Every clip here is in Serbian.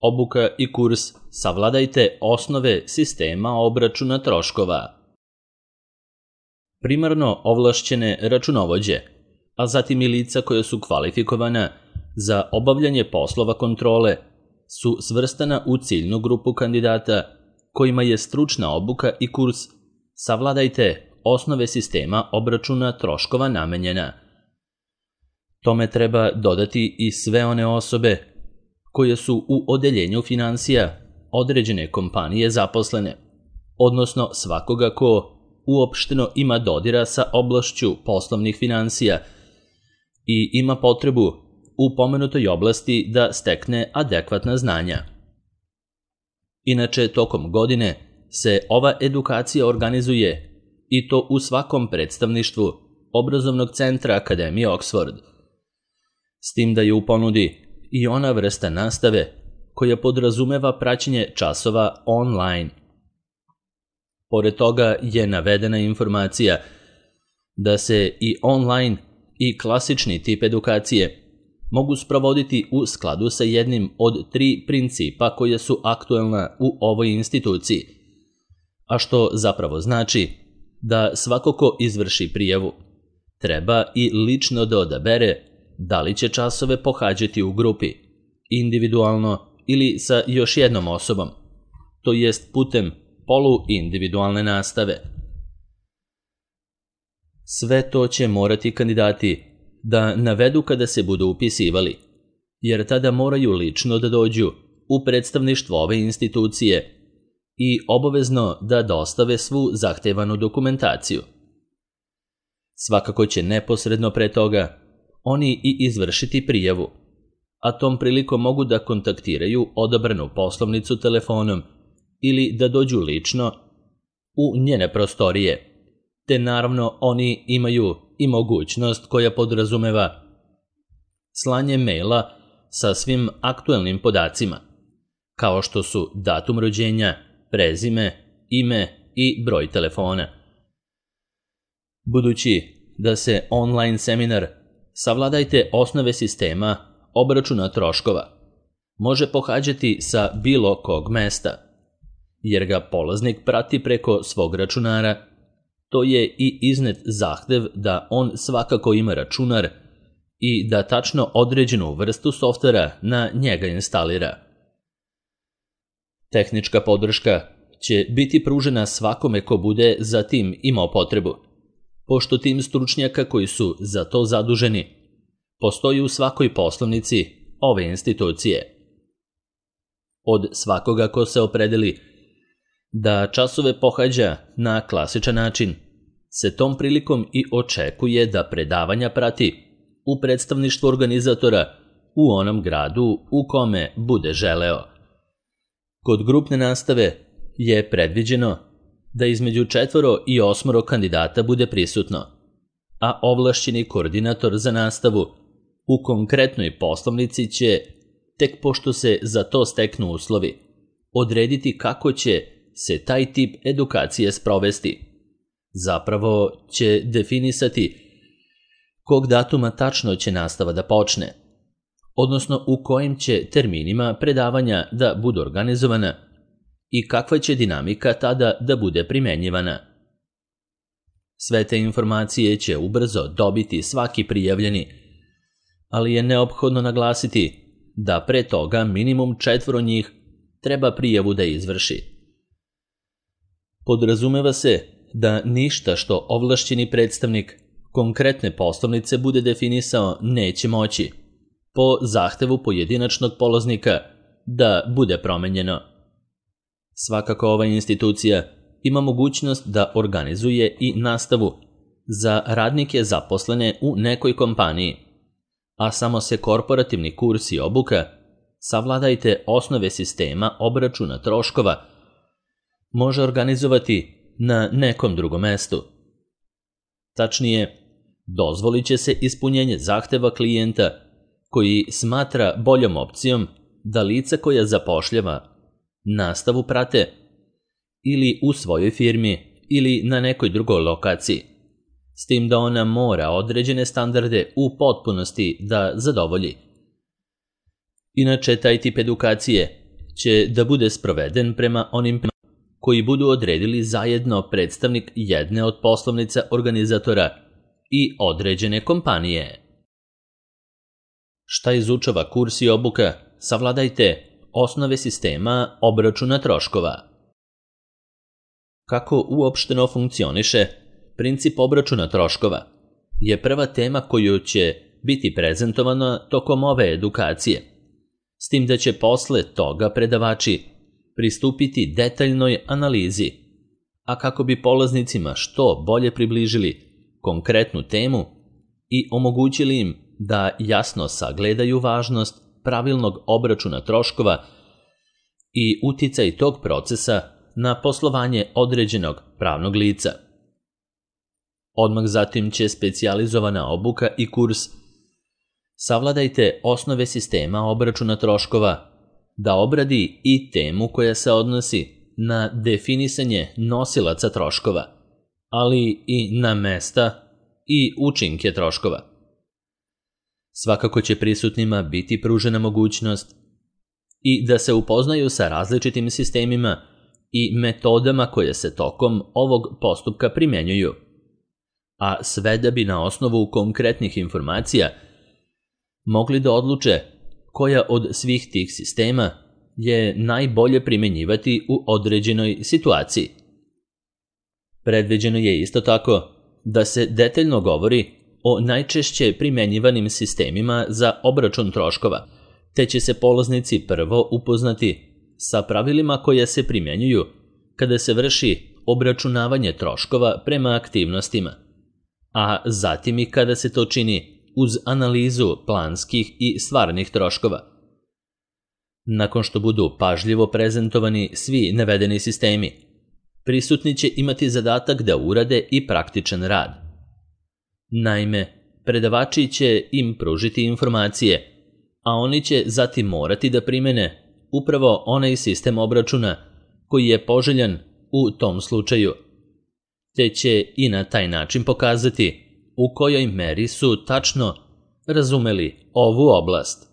Obuka i kurs Savladajte osnove sistema obračuna troškova. Primarno ovlašćene računovođe, a zatim i lica koja su kvalifikovana za obavljanje poslova kontrole, su svrstana u ciljnu grupu kandidata kojima je stručna obuka i kurs Savladajte osnove sistema obračuna troškova namenjena. Tome treba dodati i sve one osobe koje su u odeljenju finansija određene kompanije zaposlene, odnosno svakoga ko uopšteno ima dodira sa oblašću poslovnih finansija i ima potrebu u pomenutoj oblasti da stekne adekvatna znanja. Inače, tokom godine se ova edukacija organizuje i to u svakom predstavništvu obrazovnog centra Akademije Oxford, s tim da je u ponudi i ona vrsta nastave koja podrazumeva praćenje časova online. Pored toga je navedena informacija da se i online i klasični tip edukacije mogu sprovoditi u skladu sa jednim od 3 principa koje su aktuelna u ovoj instituciji, a što zapravo znači da svako ko izvrši prijavu treba i lično da odabere da li će časove pohađati u grupi, individualno ili sa još jednom osobom, to jest putem poluindividualne nastave. Sve to će morati kandidati da navedu kada se budu upisivali, jer tada moraju lično da dođu u predstavništvo ove institucije i obavezno da dostave svu zahtevanu dokumentaciju. Svakako će neposredno pre toga oni i izvršiti prijavu, a tom prilikom mogu da kontaktiraju odabranu poslovnicu telefonom ili da dođu lično u njene prostorije, te naravno oni imaju i mogućnost koja podrazumeva slanje maila sa svim aktuelnim podacima, kao što su datum rođenja, prezime, ime i broj telefona. Budući da se online seminar Savladajte osnove sistema obračuna troškova može pohađati sa bilo kog mesta, jer ga polaznik prati preko svog računara, to je i iznet zahtev da on svakako ima računar i da tačno određenu vrstu softvera na njega instalira. Tehnička podrška će biti pružena svakome ko bude za tim imao potrebu, pošto tim stručnjaka koji su za to zaduženi postoji u svakoj poslovnici ove institucije. Od svakoga ko se opredeli da časove pohađa na klasičan način, se tom prilikom i očekuje da predavanja prati u predstavništvu organizatora u onom gradu u kome bude želeo. Kod grupne nastave je predviđeno da između 4 i 8 kandidata bude prisutno, a ovlašćeni koordinator za nastavu u konkretnoj poslovnici će, tek pošto se za to steknu uslovi, odrediti kako će se taj tip edukacije sprovesti. Zapravo će definisati kog datuma tačno će nastava da počne, odnosno u kojim će terminima predavanja da budu organizovana i kakva će dinamika tada da bude primenjivana. Sve te informacije će ubrzo dobiti svaki prijavljeni, ali je neophodno naglasiti da pre toga minimum 4 njih treba prijavu da izvrši. Podrazumeva se da ništa što ovlašćeni predstavnik konkretne poslovnice bude definisao neće moći, po zahtevu pojedinačnog polaznika, da bude promenjeno. Svakako ova institucija ima mogućnost da organizuje i nastavu za radnike zaposlene u nekoj kompaniji, a samo se korporativni kurs i obuka Savladajte osnove sistema obračuna troškova može organizovati na nekom drugom mestu. Tačnije, dozvolit će se ispunjenje zahteva klijenta koji smatra boljom opcijom da lica koja zapošljava nastavu prate ili u svojoj firmi ili na nekoj drugoj lokaciji, s tim da ona mora određene standarde u potpunosti da zadovolji. Inače, taj tip edukacije će da bude sproveden prema onim koji budu odredili zajedno predstavnik jedne od poslovnica organizatora i određene kompanije. Šta izučava kurs i obuka? Savladajte osnove sistema obračuna troškova. Kako uopšteno funkcioniše princip obračuna troškova je prva tema koju će biti prezentovana tokom ove edukacije, s tim da će posle toga predavači pristupiti detaljnoj analizi, a kako bi polaznicima što bolje približili konkretnu temu i omogućili im da jasno sagledaju važnost pravilnog obračuna troškova i uticaj tog procesa na poslovanje određenog pravnog lica. Odmah zatim će specijalizovana obuka i kurs Savladajte osnove sistema obračuna troškova da obradi i temu koja se odnosi na definisanje nosilaca troškova, ali i na mesta i učinke troškova. Svakako će prisutnima biti pružena mogućnost i da se upoznaju sa različitim sistemima i metodama koje se tokom ovog postupka primjenjuju, a sve da bi na osnovu konkretnih informacija mogli da odluče koja od svih tih sistema je najbolje primjenjivati u određenoj situaciji. Predviđeno je isto tako da se detaljno govori o najčešće primjenjivanim sistemima za obračun troškova, te će se polaznici prvo upoznati sa pravilima koja se primjenjuju kada se vrši obračunavanje troškova prema aktivnostima, a zatim i kada se to čini uz analizu planskih i stvarnih troškova. Nakon što budu pažljivo prezentovani svi navedeni sistemi, prisutni će imati zadatak da urade i praktičan rad. Naime, predavači će im pružiti informacije, a oni će zatim morati da primene upravo onaj sistem obračuna koji je poželjan u tom slučaju, te će i na taj način pokazati u kojoj meri su tačno razumeli ovu oblast.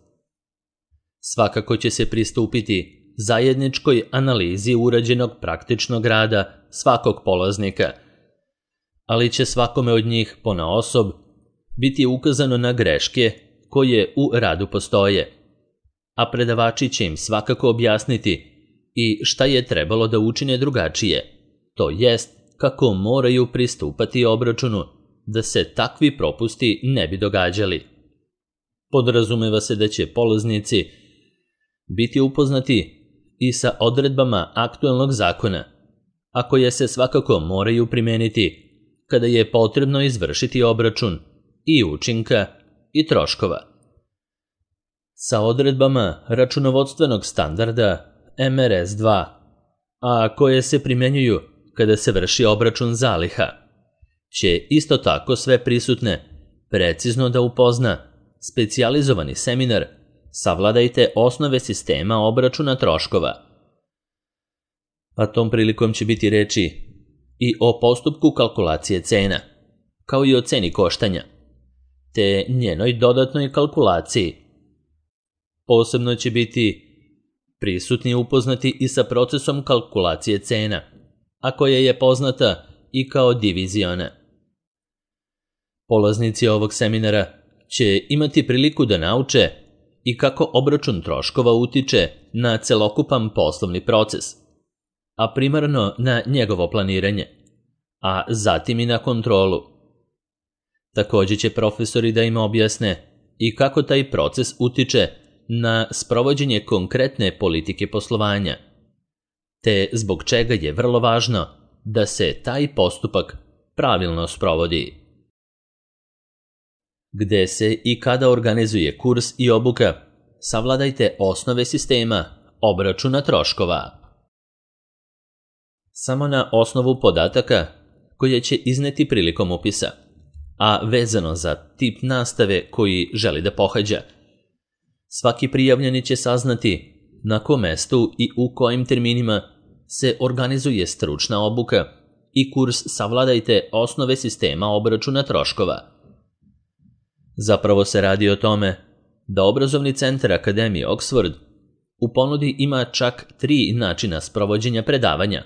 Svakako će se pristupiti zajedničkoj analizi urađenog praktičnog rada svakog polaznika, ali će svakome od njih ponaosob biti ukazano na greške koje u radu postoje, a predavači će im svakako objasniti i šta je trebalo da učine drugačije, to jest kako moraju pristupati obračunu da se takvi propusti ne bi događali. Podrazumeva se da će polaznici biti upoznati i sa odredbama aktuelnog zakona, a koje se svakako moraju primeniti kada je potrebno izvršiti obračun i učinka i troškova. Sa odredbama računovodstvenog standarda MRS2, a koje se primenjuju kada se vrši obračun zaliha, će isto tako sve prisutne precizno da upozna specijalizovani seminar Savladajte osnove sistema obračuna troškova. A tom prilikom će biti reči i o postupku kalkulacije cena, kao i o ceni koštanja, te njenoj dodatnoj kalkulaciji. Posebno će biti prisutni upoznati i sa procesom kalkulacije cena, a koja je poznata i kao diviziona. Polaznici ovog seminara će imati priliku da nauče i kako obračun troškova utiče na celokupan poslovni proces, a primarno na njegovo planiranje, a zatim i na kontrolu. Također će profesori da im objasne i kako taj proces utiče na sprovođenje konkretne politike poslovanja, te zbog čega je vrlo važno da se taj postupak pravilno sprovodi. Gde se i kada organizuje kurs i obuka, savladajte osnove sistema obračuna troškova. Samo na osnovu podataka koje će izneti prilikom upisa, a vezano za tip nastave koji želi da pohađa, svaki prijavljeni će saznati na kom mestu i u kojim terminima se organizuje stručna obuka i kurs Savladajte osnove sistema obračuna troškova. Zapravo se radi o tome da Obrazovni centar Akademije Oxford U ponudi ima čak 3 načina sprovođenja predavanja: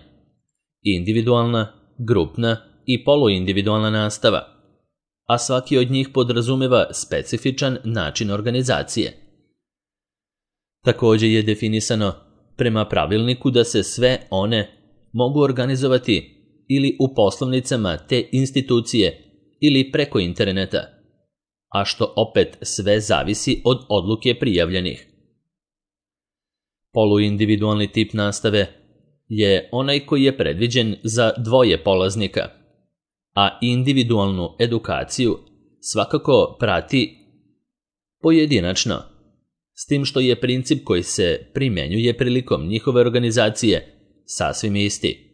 individualna, grupna i poluindividualna nastava, a svaki od njih podrazumeva specifičan način organizacije. Također je definisano prema pravilniku da se sve one mogu organizovati ili u poslovnicama te institucije ili preko interneta, a što opet sve zavisi od odluke prijavljenih. Poluindividualni tip nastave je onaj koji je predviđen za 2 polaznika, a individualnu edukaciju svakako prati pojedinačno, s tim što je princip koji se primjenjuje prilikom njihove organizacije sasvim isti.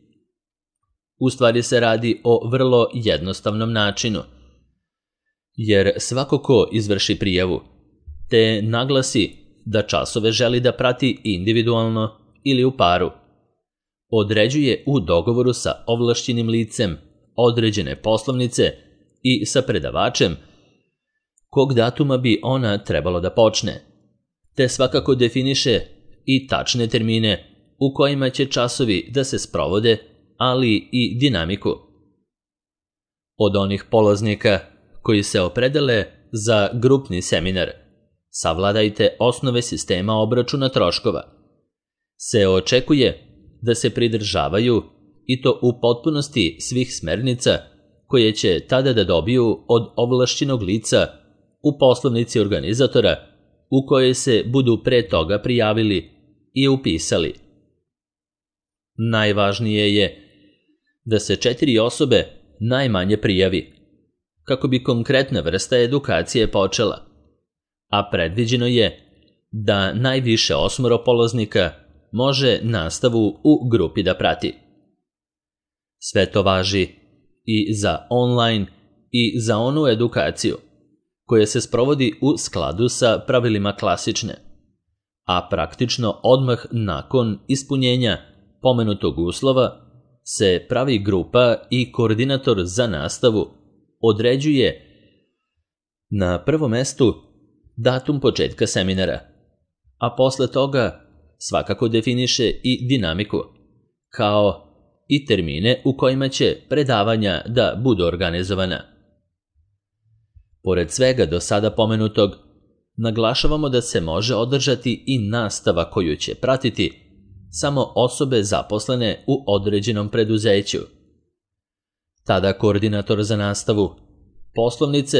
U stvari se radi o vrlo jednostavnom načinu, jer svako ko izvrši prijavu te naglasi da časove želi da prati individualno ili u paru, određuje u dogovoru sa ovlašćenim licem određene poslovnice i sa predavačem kog datuma bi ona trebalo da počne, te svakako definiše i tačne termine u kojima će časovi da se sprovode, ali i dinamiku. Od onih polaznika koji se opredele za grupni seminar Savladajte osnove sistema obračuna troškova se očekuje da se pridržavaju i to u potpunosti svih smernica koje će tada da dobiju od ovlašćenog lica u poslovnici organizatora u kojoj se budu pre toga prijavili i upisali. Najvažnije je da se 4 osobe najmanje prijavi, kako bi konkretna vrsta edukacije počela, a predviđeno je da najviše 8 polaznika može nastavu u grupi da prati. Sve to važi i za online i za onu edukaciju koja se sprovodi u skladu sa pravilima klasične, a praktično odmah nakon ispunjenja pomenutog uslova se pravi grupa i koordinator za nastavu određuje na prvom mestu datum početka seminara, a posle toga svakako definiše i dinamiku, kao i termine u kojima će predavanja da budu organizovana. Pored svega do sada pomenutog, naglašavamo da se može održati i nastava koju će pratiti samo osobe zaposlene u određenom preduzeću. Tada koordinator za nastavu, poslovnice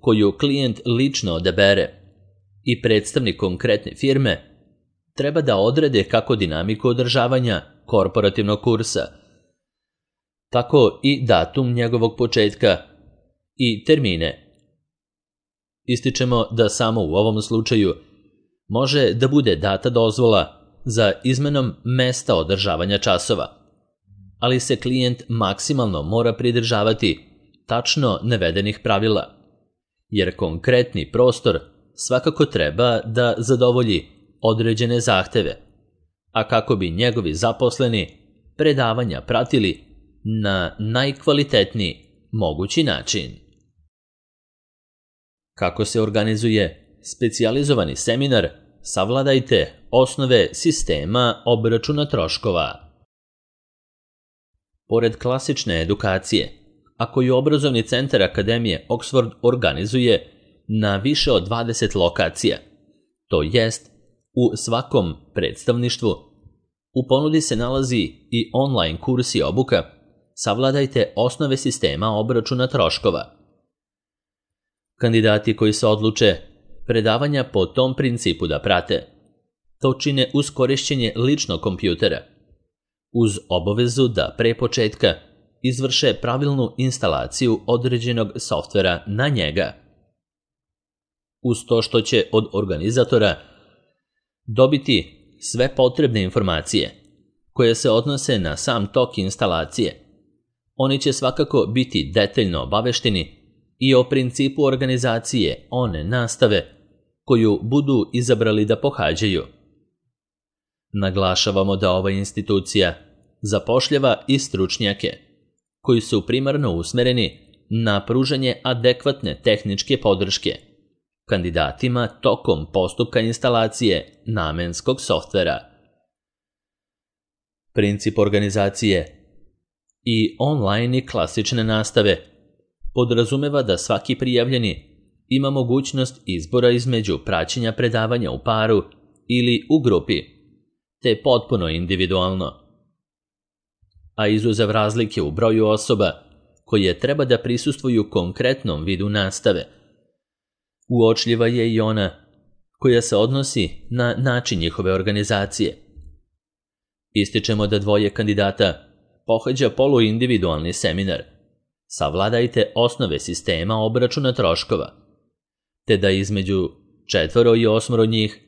koju klijent lično odabere i predstavnik konkretne firme treba da odrede kako dinamiku održavanja korporativnog kursa, tako i datum njegovog početka i termine. Ističemo da samo u ovom slučaju može da bude data dozvola za izmenom mesta održavanja časova, ali se klijent maksimalno mora pridržavati tačno navedenih pravila, jer konkretni prostor svakako treba da zadovolji određene zahteve, a kako bi njegovi zaposleni predavanja pratili na najkvalitetniji mogući način. Kako se organizuje specijalizovani seminar Savladajte osnove sistema obračuna troškova? Pored klasične edukacije, a koju obrazovni centar Akademije Oxford organizuje na više od 20 lokacija, to jest u svakom predstavništvu, u ponudi se nalazi i online kurs i obuka Savladajte osnove sistema obračuna troškova. Kandidati koji se odluče predavanja po tom principu da prate, to čine uz korišćenje ličnog kompjutera, uz obavezu da pre početka izvrše pravilnu instalaciju određenog softvera na njega. Uz to što će od organizatora dobiti sve potrebne informacije koje se odnose na sam tok instalacije, oni će svakako biti detaljno obavešteni i o principu organizacije one nastave koju budu izabrali da pohađaju. Naglašavamo da ova institucija zapošljava i stručnjake koji su primarno usmereni na pružanje adekvatne tehničke podrške, kandidatima tokom postupka instalacije namenskog softvera. Princip organizacije i online i klasične nastave podrazumeva da svaki prijavljeni ima mogućnost izbora između praćenja predavanja u paru ili u grupi, te potpuno individualno. A izuzev razlike u broju osoba koje treba da prisustvuju konkretnom vidu nastave, uočljiva je i ona koja se odnosi na način njihove organizacije. Ističemo da 2 kandidata pohađa poluindividualni seminar Savladajte osnove sistema obračuna troškova, te da između 4 i 8 njih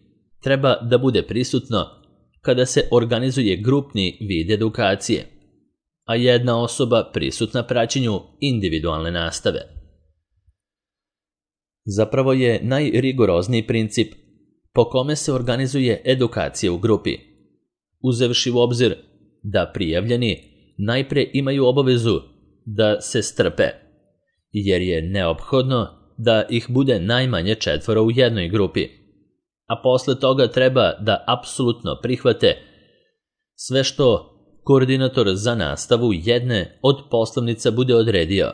treba da bude prisutno kada se organizuje grupni vid edukacije, a 1 osoba prisutna praćenju individualne nastave. Zapravo je najrigorozniji princip po kome se organizuje edukacija u grupi, uzevši u obzir da prijavljeni najpre imaju obavezu da se strpe, jer je neophodno da ih bude najmanje 4 u jednoj grupi, a posle toga treba da apsolutno prihvate sve što koordinator za nastavu jedne od poslovnica bude odredio.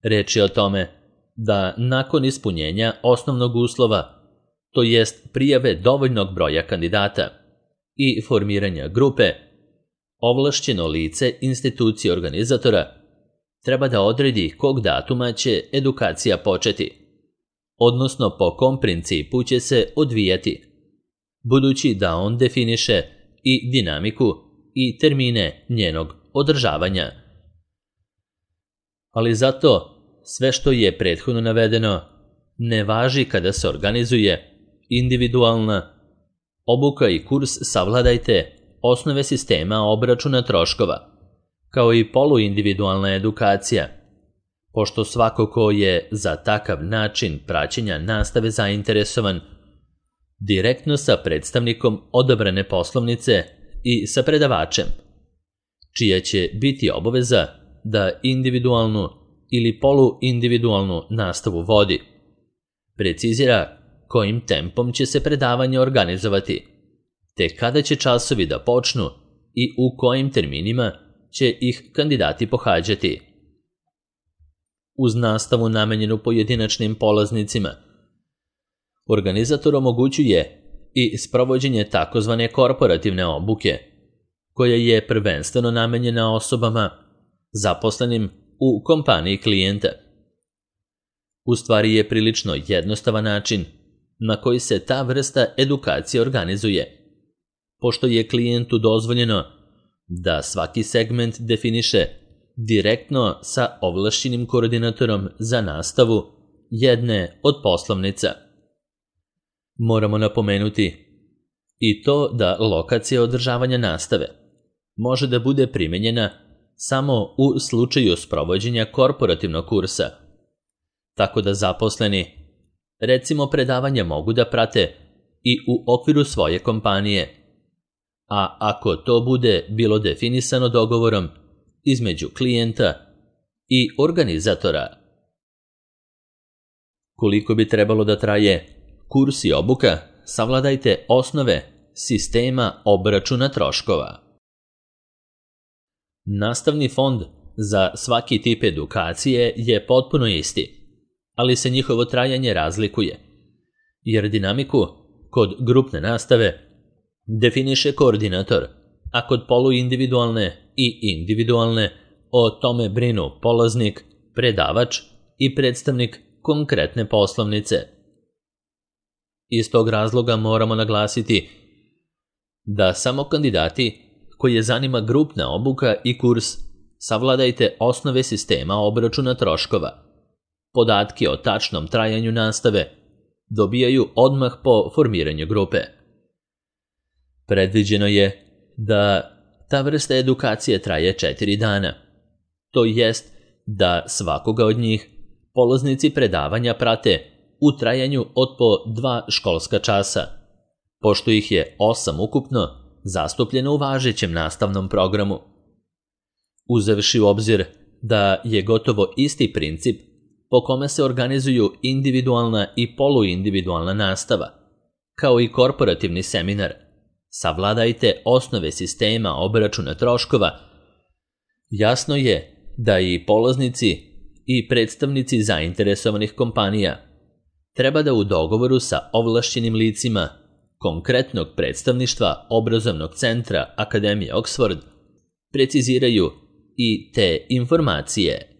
Reč je o tome da nakon ispunjenja osnovnog uslova, to jest prijave dovoljnog broja kandidata i formiranja grupe, ovlašćeno lice institucije organizatora treba da odredi kog datuma će edukacija početi, odnosno po kom principu će se odvijati, budući da on definiše i dinamiku i termine njenog održavanja. Ali zato sve što je prethodno navedeno ne važi kada se organizuje individualna obuka i kurs Savladajte osnove sistema obračuna troškova, kao i poluindividualna edukacija, pošto svako ko je za takav način praćenja nastave zainteresovan, direktno sa predstavnikom odabrane poslovnice i sa predavačem, čija će biti obaveza da individualnu ili poluindividualnu nastavu vodi, precizira kojim tempom će se predavanje organizovati, te kada će časovi da počnu i u kojim terminima će ih kandidati pohađati. Uz nastavu namenjenu pojedinačnim polaznicima, organizator omogućuje i sprovođenje takozvane korporativne obuke, koja je prvenstveno namenjena osobama zaposlenim u kompaniji klijenta. U stvari je prilično jednostavan način na koji se ta vrsta edukacije organizuje, pošto je klijentu dozvoljeno da svaki segment definiše direktno sa ovlašćenim koordinatorom za nastavu jedne od poslovnica. Moramo napomenuti i to da lokacija održavanja nastave može da bude primenjena samo u slučaju sprovođenja korporativnog kursa, tako da zaposleni, recimo, predavanja mogu da prate i u okviru svoje kompanije, a ako to bude bilo definisano dogovorom između klijenta i organizatora. Koliko bi trebalo da traje kurs i obuka, savladajte osnove sistema obračuna troškova. Nastavni fond za svaki tip edukacije je potpuno isti, ali se njihovo trajanje razlikuje, jer dinamiku kod grupne nastave definiše koordinator, a kod poluindividualne i individualne o tome brinu polaznik, predavač i predstavnik konkretne poslovnice. Iz tog razloga moramo naglasiti da samo kandidati koje zanima grupna obuka i kurs savladajte osnove sistema obračuna troškova, podatke o tačnom trajanju nastave dobijaju odmah po formiranju grupe. Predviđeno je da ta vrsta edukacije traje 4 dana, to jest da svakoga od njih polaznici predavanja prate u trajanju od po 2 školska časa, pošto ih je 8 ukupno zastupljeno u važećem nastavnom programu. Uzevši u obzir da je gotovo isti princip po kome se organizuju individualna i poluindividualna nastava, kao i korporativni seminar Savladajte osnove sistema obračuna troškova, jasno je da i polaznici i predstavnici zainteresovanih kompanija treba da u dogovoru sa ovlašćenim licima konkretnog predstavništva obrazovnog centra Akademije Oxford preciziraju i te informacije.